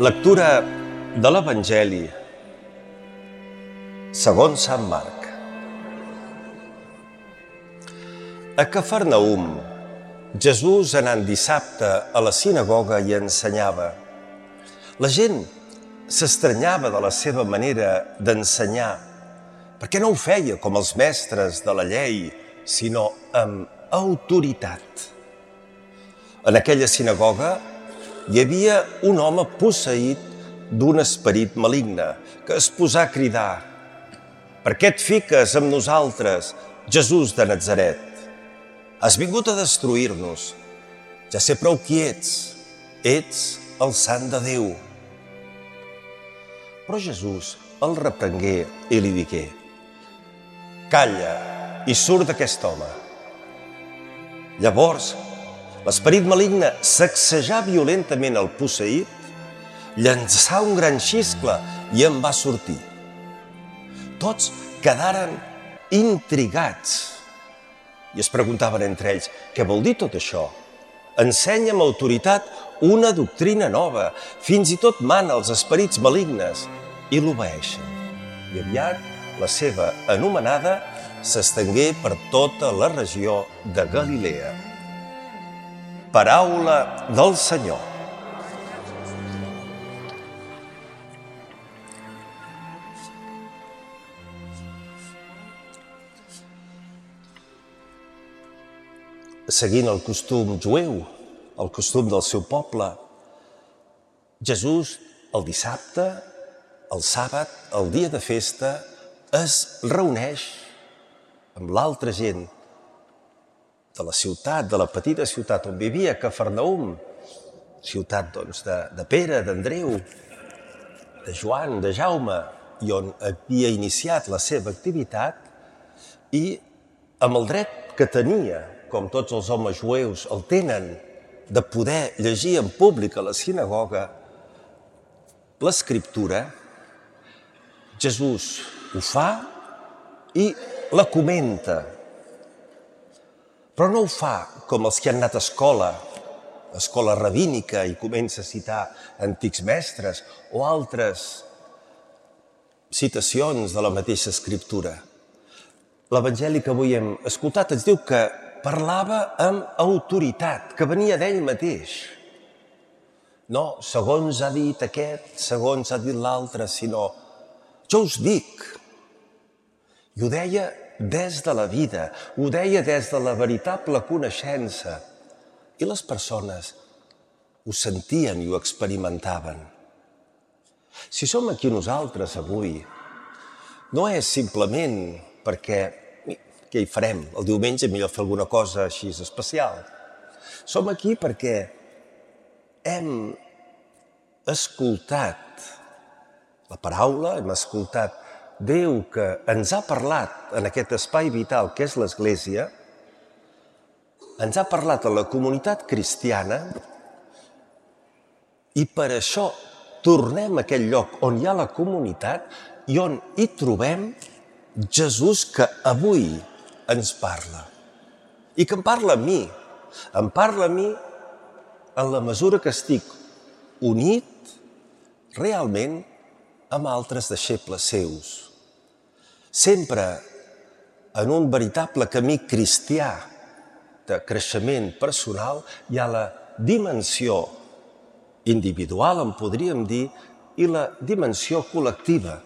Lectura de l'Evangeli segons Sant Marc. A Cafarnaüm, Jesús anant dissabte a la sinagoga i ensenyava. La gent s'estranyava de la seva manera d'ensenyar, perquè no ho feia com els mestres de la llei, sinó amb autoritat. En aquella sinagoga hi havia un home posseït d'un esperit maligne que es posà a cridar: «Per què et fiques amb nosaltres, Jesús de Natzaret? Has vingut a destruir-nos. Ja sé prou qui ets el Sant de Déu». Però Jesús el reprengué i li digué: «Calla i surt d'aquest home». Llavors, l'esperit maligne sacsejà violentament el posseït, llançà un gran xiscle i en va sortir. Tots quedaren intrigats i es preguntaven entre ells: «Què vol dir tot això? Ensenya amb autoritat una doctrina nova, fins i tot mana als esperits malignes i l'obeeixen». I aviat la seva anomenada s'estengué per tota la regió de Galilea. Paraula del Senyor. Seguint el costum jueu, el costum del seu poble, Jesús el dissabte, el sàbat, el dia de festa, es reuneix amb l'altra gent de la ciutat, de la petita ciutat on vivia, Cafarnaüm, ciutat de Pere, d'Andreu, de Joan, de Jaume, i on havia iniciat la seva activitat, i amb el dret que tenia, com tots els homes jueus el tenen, de poder llegir en públic a la sinagoga l'Escriptura, Jesús ho fa i la comenta. Però no ho fa com els que han anat a escola rabínica, i comença a citar antics mestres o altres citacions de la mateixa Escriptura. L'Evangeli que avui hem escoltat ens diu que parlava amb autoritat, que venia d'ell mateix. No segons ha dit aquest, segons ha dit l'altre, sinó jo us dic. I ho deia des de la vida, ho deia des de la veritable coneixença. I les persones ho sentien i ho experimentaven. Si som aquí nosaltres avui, no és simplement perquè què hi farem? El diumenge millor fer alguna cosa així especial. Som aquí perquè hem escoltat la paraula, hem escoltat Déu que ens ha parlat en aquest espai vital que és l'Església, ens ha parlat a la comunitat cristiana, i per això tornem a aquell lloc on hi ha la comunitat i on hi trobem Jesús que avui ens parla. I que em parla a mi. Em parla a mi en la mesura que estic unit realment amb altres deixebles seus. Sempre en un veritable camí cristià de creixement personal hi ha la dimensió individual, en podríem dir, i la dimensió col·lectiva,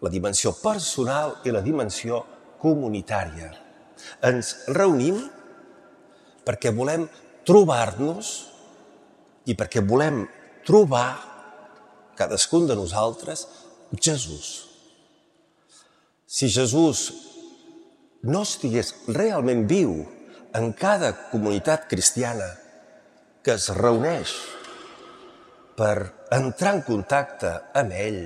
la dimensió personal i la dimensió comunitària. Ens reunim perquè volem trobar-nos i perquè volem trobar, cadascun de nosaltres, Jesús. Si Jesús no estigués realment viu en cada comunitat cristiana que es reuneix per entrar en contacte amb ell,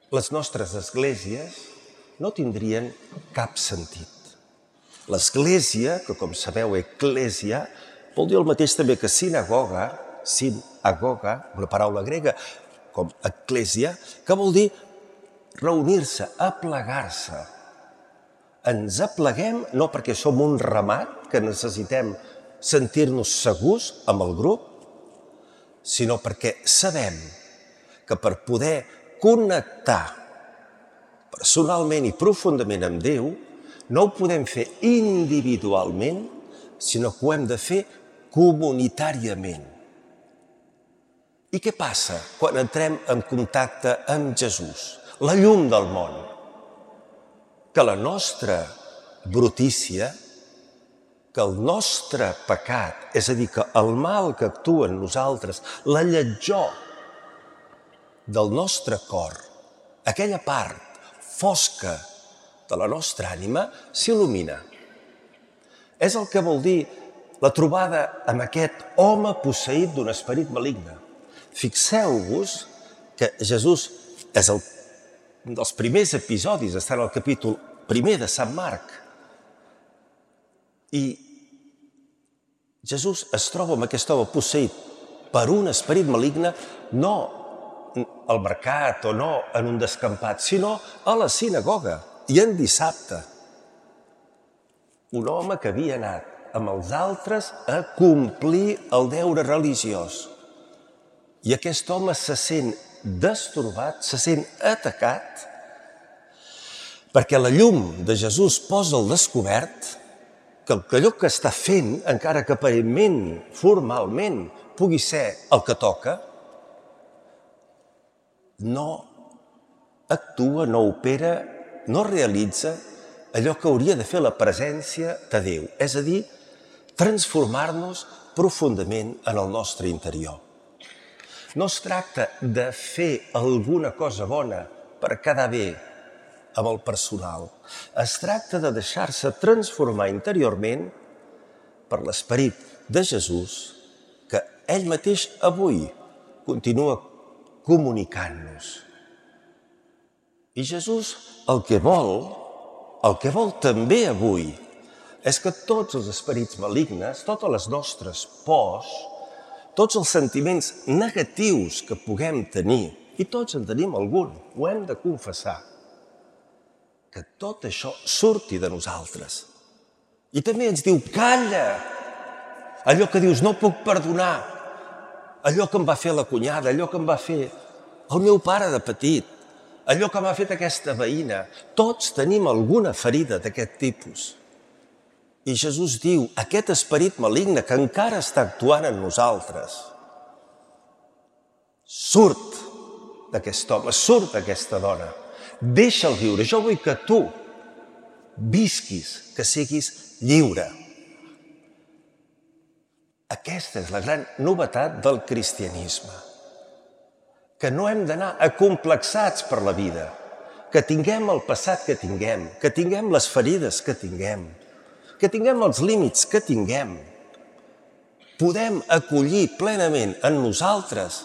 les nostres esglésies no tindrien cap sentit. L'església, que com sabeu, eclèsia, vol dir el mateix també que sinagoga, una paraula grega, com eclèsia, que vol dir reunir-se, aplegar-se. Ens apleguem no perquè som un ramat, que necessitem sentir-nos segurs amb el grup, sinó perquè sabem que per poder connectar personalment i profundament amb Déu, no ho podem fer individualment, sinó que ho hem de fer comunitàriament. I què passa quan entrem en contacte amb Jesús, la llum del món? Que la nostra brutícia, que el nostre pecat, és a dir, que el mal que actua en nosaltres, la lletjor del nostre cor, aquella part fosca de la nostra ànima, s'il·lumina. És el que vol dir la trobada amb aquest home posseït d'un esperit maligne. Fixeu-vos que Jesús és un dels primers episodis, està en el capítol 1 de Sant Marc. I Jesús es troba amb aquest home posseït per un esperit maligne, no al mercat o no en un descampat, sinó a la sinagoga i en dissabte. Un home que havia anat amb els altres a complir el deure religiós. I aquest home se sent destorbat, se sent atacat, perquè la llum de Jesús posa al descobert que allò que està fent, encara que aparentment, formalment, pugui ser el que toca, no actua, no opera, no realitza allò que hauria de fer la presència de Déu, és a dir, transformar-nos profundament en el nostre interior. No es tracta de fer alguna cosa bona per quedar bé amb el personal. Es tracta de deixar-se transformar interiorment per l'esperit de Jesús, que ell mateix avui continua comunicant-nos. I Jesús el que vol també avui, és que tots els esperits malignes, totes les nostres pors, tots els sentiments negatius que puguem tenir, i tots en tenim algun, ho hem de confessar, que tot això surti de nosaltres. I també ens diu, calla! Allò que dius, no puc perdonar, allò que em va fer la cunyada, allò que em va fer el meu pare de petit, allò que m'ha fet aquesta veïna. Tots tenim alguna ferida d'aquest tipus. I Jesús diu, aquest esperit maligne que encara està actuant en nosaltres, surt d'aquest home, surt d'aquesta dona, deixa'l viure. Jo vull que tu visquis, que siguis lliure. Aquesta és la gran novetat del cristianisme, que no hem d'anar acomplexats per la vida, que tinguem el passat que tinguem les ferides que tinguem els límits que tinguem. Podem acollir plenament en nosaltres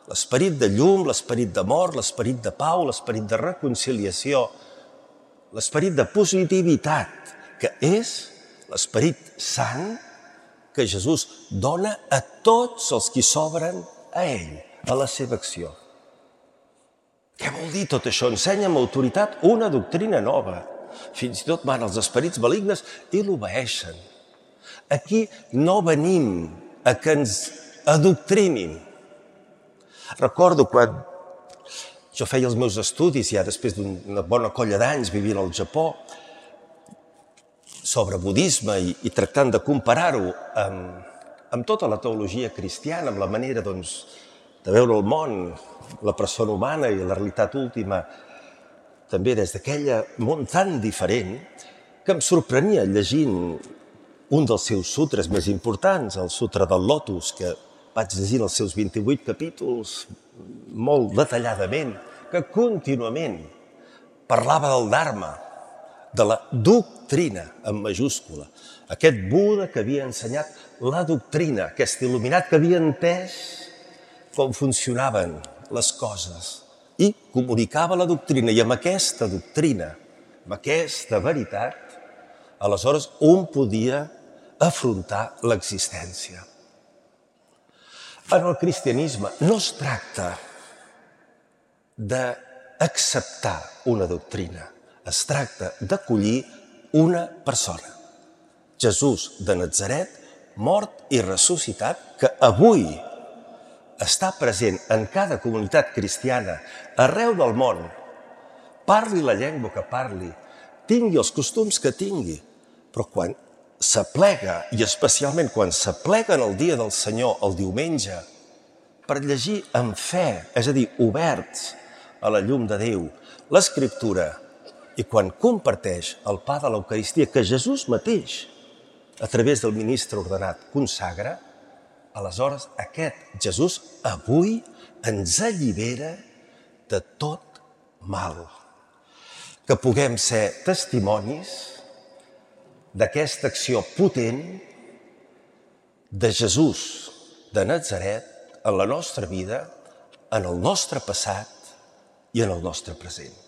l'esperit de llum, l'esperit d'amor, l'esperit de pau, l'esperit de reconciliació, l'esperit de positivitat, que és l'esperit sant que Jesús dona a tots els qui s'obren a ell, a la seva acció. Què vol dir tot això? Ensenya amb autoritat una doctrina nova. Fins i tot van els esperits malignes i l'obeeixen. Aquí no venim a que ens adoctrinin. Recordo quan jo feia els meus estudis, ja després d'una bona colla d'anys vivint al Japó, sobre budisme i tractant de comparar-ho amb tota la teologia cristiana, amb la manera de veure el món, la persona humana i la realitat última, també des d'aquella món tan diferent, que em sorprenia llegint un dels seus sutres més importants, el Sutra del Lotus, que vaig llegir els seus 28 capítols molt detalladament, que contínuament parlava del Dharma, de la doctrina en majúscula. Aquest Buda que havia ensenyat la doctrina, aquest il·luminat que havia entès com funcionaven les coses i comunicava la doctrina. I amb aquesta doctrina, amb aquesta veritat, aleshores un podia afrontar l'existència. En el cristianisme no es tracta d'acceptar una doctrina, es tracta d'acollir una persona. Jesús de Natzaret, mort i ressuscitat, que avui està present en cada comunitat cristiana, arreu del món, parli la llengua que parli, tingui els costums que tingui, però quan s'aplega, i especialment quan s'aplega en el dia del Senyor, el diumenge, per llegir amb fe, és a dir, oberts a la llum de Déu, l'Escriptura, i quan comparteix el pa de l'Eucaristia que Jesús mateix, a través del ministre ordenat, consagra, aleshores aquest Jesús avui ens allibera de tot mal. Que puguem ser testimonis d'aquesta acció potent de Jesús de Natzaret en la nostra vida, en el nostre passat i en el nostre present.